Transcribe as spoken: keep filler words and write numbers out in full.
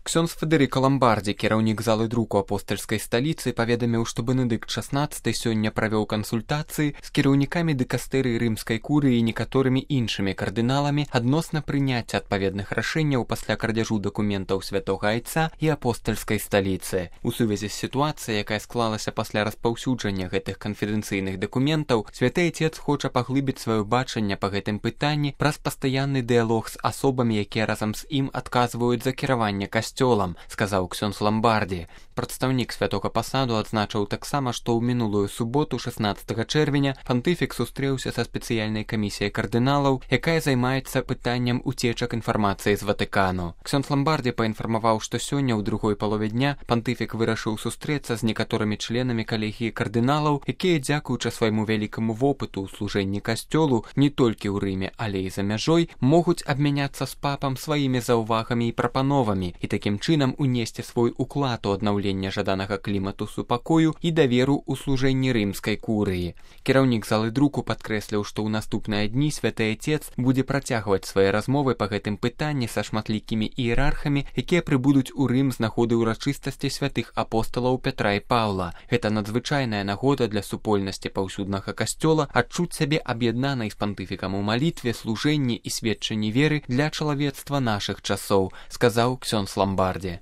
Ксёндз Федэрыка Ламбардзі, кіраўнік залы друку апостальскай сталіцы, паведаміў, што Бенедыкт шаснаццаты сёння правёў кансультацыі з кіраўнікамі дыкастэрыі рымскай курыі і некаторымі іншымі кардыналамі адносна прыняцця адпаведных рашэнняў пасля крадзяжу дакументаў святога айца і апостальскай сталіцы. У сувязі з сітуацыяй, якая склалася пасля распаўсюджання гэтых канфідэнцыйных дакументаў, святы айцец хоча паглыбіць сваё бачанне па гэтым пытанні праз пастаянны дыялог з асобамі, якія разам з ім адказваюць за кіраванне касцёлам, сказаў ксёндз Ламбардзі. Прадстаўнік святога пасаду адзначыў таксама, што ў минулую суботу, шаснаццатага чэрвеня, пантыфік сустрэўся са спецыяльнай камісіяй кардыналаў, якая займаецца пытаннем уцечак інфармацыі з Ватыкану. Ксёндз Ламбардзі паінфармаваў, што сёння ў другой палове дня пантыфік вырашыў сустрэцца з некаторымі членамі калегіі кардыналаў, якія, дзякуючы свайму вялікаму вопыту ў служэнні касцёлу не толькі ў Рыме, але і за мяжой, могуць абмяняцца з папам сваімі заўвагамі і прапановамі і такім чынам унесці свой уклад у аднаўленне жаданага клімату супакою і даверу ў служэнні рымскай курыі. Кіраўнік залы друку падкрэсліў, што ў наступныя дні святы айцец будзе працягваць свае размовы па гэтым пытанні са шматлікімі іерархамі, якія прыбудуць у Рым з нагоды ўрачыстасці святых апосталаў Пятра і Паўла. Гэта надзвычайная нагода для супольнасці паўсюднага касцёла адчуць сябе аб'яднанай з пантыфікам у малітве, служэнні і сведчанні веры для чалавецтва нашых часоў, сказаў ксёндз Ламбардзі.